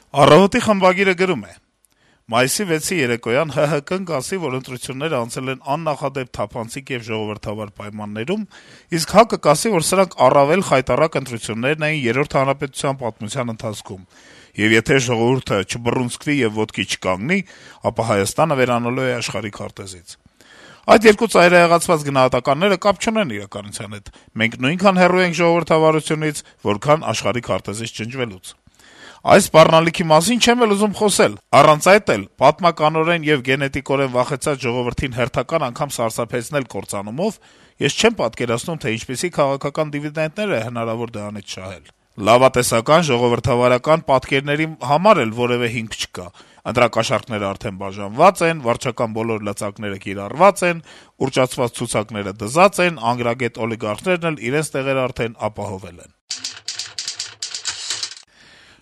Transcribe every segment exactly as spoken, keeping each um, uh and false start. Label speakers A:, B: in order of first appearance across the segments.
A: Առավոտի խմբագիրը գրում է. - «Մայիսի վեցի երեկոյան ՀՀԿ-ն կասի, որ ընտրությունները անցել են աննախադեպ թափանցիկ եւ ժողովրդավար պայմաններում, իսկ ՀԱԿ-ը կասի, որ սրանք առավել խայտառակ ընտրություններն էին Երրորդ հանրապետության պատմության ընթացքում, եւ եթե ժողովուրդը չբռունցքվի եւ ոտքի չկանգնի, ապա Հայաստանը վերանալու է աշխարհի քարտեզից։ Այդ երկու ծայրահեղացված գնահատականները կապ չունեն իրականության հետ, մենք նույնքան հեռու ենք ժողովրդավարությունից, որքան աշխարհի քարտեզից ջնջվելուց։ Այս սպառնալիքի մասին չեմ էլ ուզում խոսել, առանց այդ էլ պատմականորեն եւ գենետիկորեն վախեցած ժողովրդին հերթական անգամ սարսափեցնել կործանումով, ես չեմ պատկերացնում, թե ինչպիսի քաղաքական դիվիդենտներ է հնարավոր դրանից շահել։ Լավատեսական ժողովրդավարական պատկերների համար էլ որեւէ հիմք չկա, ընտրակաշառքները արդեն բաժանված են, վարչական բոլոր լծակները կիրառված են, ուռճացված ցուցակները դզած են, անգրագետ օլիգարխներն էլ իրենց տեղերը արդեն ապահովել են»։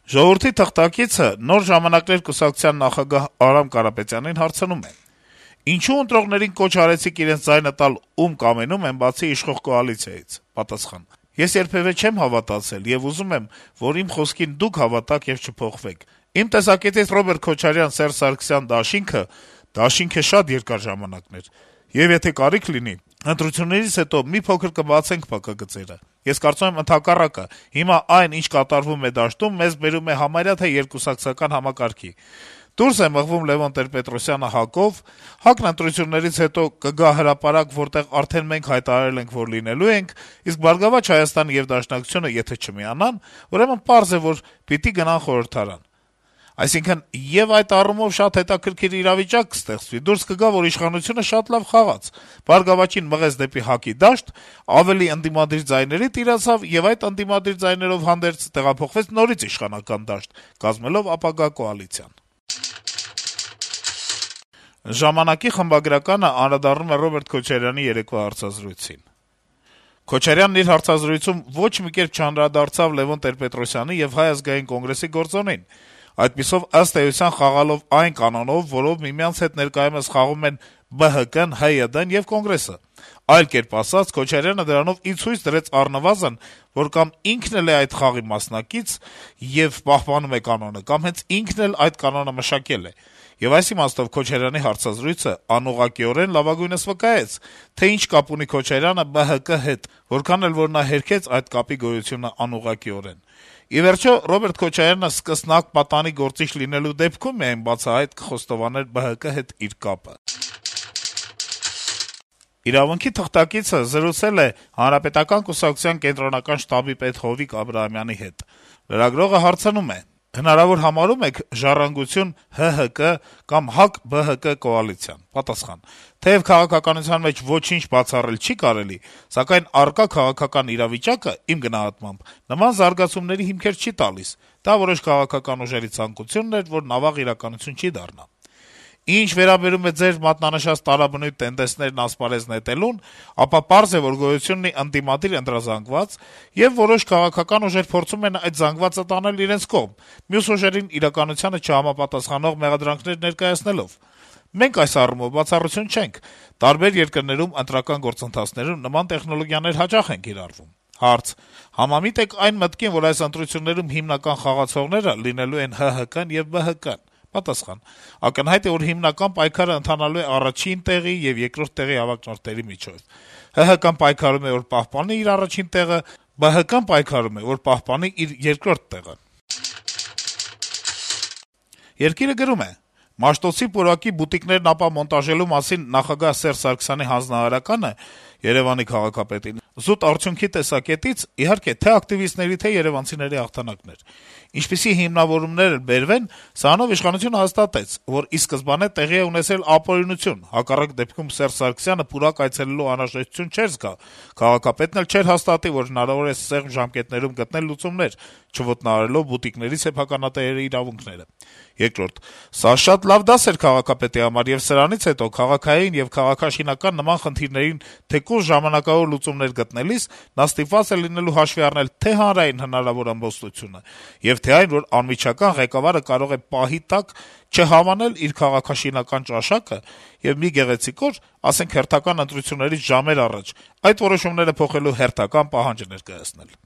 A: «Ժողովուրդ»-ի թղթակիցը Նոր ժամանակներ կուսակցության նախագահ Արամ Կարապետյանին հարցնում է. - «Ինչու ընտրողներին կոչ արեցիք իրենց ձայնը տալ ում կամենում են, բացի իշխող կոալիցիայից»։ Պատասխան. - «Ես երբեւէ չեմ հավատացել եւ ուզում եմ, որ իմ խոսքին դուք հավատաք եւ չփոխվեք։ Իմ տեսակետից Ռոբերտ Քոչարյան, Սերժ Սարգսյան դաշինքը դաշինք է շատ երկար ժամանակներ, եւ եթե կարիք լինի, ընտրություններից հետո մի փոքր կբացենք փակագծերը։ Ես կարծում եմ ընդհակառակը, հիմա այն, ինչ կատարվում է դաշտում, մեզ բերում է համարյա թե երկկուսակցական համակարգի։ Դուրս է մղվում Լեւոն Տեր-Պետրոսյանը ՀԱԿ-ով, ՀԱԿ-ն ընտրություններից հետո կգա հրապարակ, որտեղ արդեն մենք հայտարարել ենք, որ լինելու ենք, իսկ «Բարգավաճ Հայաստանը» եւ Դաշնակցությունը եթե չմիանան, ուրեմն պարզ է, որ պիտի գնան խորհրդարան։ Այսինքն, եւ այդ առումով շատ հետաքրքիր իրավիճակ կստեղծվի, դուրս կգա, որ իշխանությունը շատ լավ խաղաց, «Բարգավաճին» մղեց դեպի ՀԱԿ-ի դաշտ, ավելի ընդդիմադիր ձայների տիրացավ եւ այդ ընդդիմադիր ձայներով հանդերձ տեղափոխվեց նորից իշխանական դաշտ, կազմելով ապագա կոալիցիան»։ «Ժամանակ»-ի խմբագրականը անդրադառնում է Ռոբերտ Քոչարյանի երեկվա հարցազրույցին. - «Քոչարյանն իր հարցազրույցում ոչ մի կերպ չանդրադարձավ Լեւոն Տեր-Պետրոսյանի եւ Հայ ազգային կոնգրեսի գործոնին, այդպիսով, ըստ էության, խաղալով այն կանոնով, որով միմյանց հետ ներկայումս խաղում են ԲՀԿ-ն, ՀՅԴ-ն եւ Կոնգրեսը։ Այլ կերպ ասած, Քոչարյանը դրանով ի ցույց դրեց առնվազն, որ կամ ինքն էլ է այդ խաղի մասնակից եւ պահպանում է կանոնը, կամ հենց ինքն էլ այդ կանոնը մշակել է։ Եվ այս իմաստով Քոչարյանի հարցազրույցը անուղղակիորեն լավագույնս վկայեց, թե ինչ կապ ունի Քոչարյանը ԲՀԿ հետ, որքան էլ որ նա հերքեց այդ կապի գոյությունը անուղղակիորեն։ Ի վերջո, Ռոբերտ Քոչարյանը սկսնակ պատանի գործիչ լինելու դեպքում միայն բացահայտ կխոստովաներ ԲՀԿ հետ իր կապը»։ «Իրավունք»-ի թղթակիցը զրուցել է Հանրապետական կուսակցության կենտրոնական շտաբի պետ Հովիկ Աբրահամյանի հետ։ Լրագրողը հարցնում է. - «Հնարավոր համարո՞ւմ եք «Ժառանգություն» ՀՀԿ կամ ՀԱԿ-ԲՀԿ կոալիցիան»։ Պատասխան. - «Թեեւ քաղաքականության մեջ ոչինչ բացառել չի կարելի, սակայն առկա քաղաքական իրավիճակը, իմ գնահատմամբ, նման զարգացումների հիմքեր չի տալիս: Դա որոշ քաղաքական ուժերի ցանկությունն էր, որն ավաղ իրականություն չի դառնա: Ինչ վերաբերում է ձեր մատնանշած տարաբնույթ տենդեցներն ասպարեզ նետելուն, ապա պարզ է, որ գոյություն ունի ընդդիմադիր ընտրազանգված, եւ որոշ քաղաքական ուժեր փորձում են այդ զանգվածը տանել իրենց կողմ, մյուս ուժերին իրականությանը չհամապատասխանող մեղադրանքներ ներկայացնելով: Մենք այս առումով բացառություն չենք. տարբեր երկրներում ընտրական գործընթացներում նման տեխնոլոգիաներ հաճախ են կիրառվում»։ Հարց. - «Համամիտ եք այն մտքին, որ այս ընտրություններում հիմնական խաղացողները լինելու են ՀՀԿ-ն եւ ԲՀԿ-ն»։ Պատասխան. - «Ակնհայտ է, որ հիմնական պայքարը ընթանալու է առաջին տեղի եւ երկրորդ տեղի հավաքնորդների միջեւ: ՀՀԿ-ն պայքարում է, որ պահպանի իր առաջին տեղը, ԲՀԿ-ն պայքարում է, որ պահպանի իր երկրորդ տեղը»։ «Երկիր»-ը գրում է. - «Մաշտոցի պուրակի բուտիկներն ապամոնտաժելու մասին նախագահ Սերժ Սարգսյանի հանձնարարականը Երեւանի քաղաքապետին զուտ արդյունքի տեսակետից, իհարկե, թե ակտիվիստների, թե երեւանցիների հաղթանակն էր: Ինչպիսի հիմնավորումներ էլ բերվեն, սրանով իշխանությունը հաստատեց, որ ի սկզբանե տեղի է ունեցել ապօրինություն, հակառակ դեպքում Սերժ Սարգսյանը պուրակ այցելելու անհրաժեշտություն չէր զգա, քաղաքապետն էլ չէր հաստատի, որ հնարավոր է սեղմ ժամկետներում գտնել լուծումներ, չոտնահարելով բուտիկների սեփականատերերի իրավունքները: Երկրորդ. սա շատ լավ դաս էր քաղաքապետի համար, եւ սրանից հետո քաղաքային եւ քաղաքաշինական նման խնդիրներին թեկուզ ժամանակավոր լուծումներ գտնելիս նա ստիպված է լինելու հաշվի առնել թե հանրային հնարավոր ամբոստությունը, եւ թե այն, որ անմիջական ղեկավարը կարող է պահի տակ չհավանել իր քաղաքաշինական ճաշակը եւ մի գեղեցիկ օր, ասենք հերթական ընտրություններից ժամեր առաջ, այդ որոշումները փոխելու հերթական պահանջ ներկայացնել»։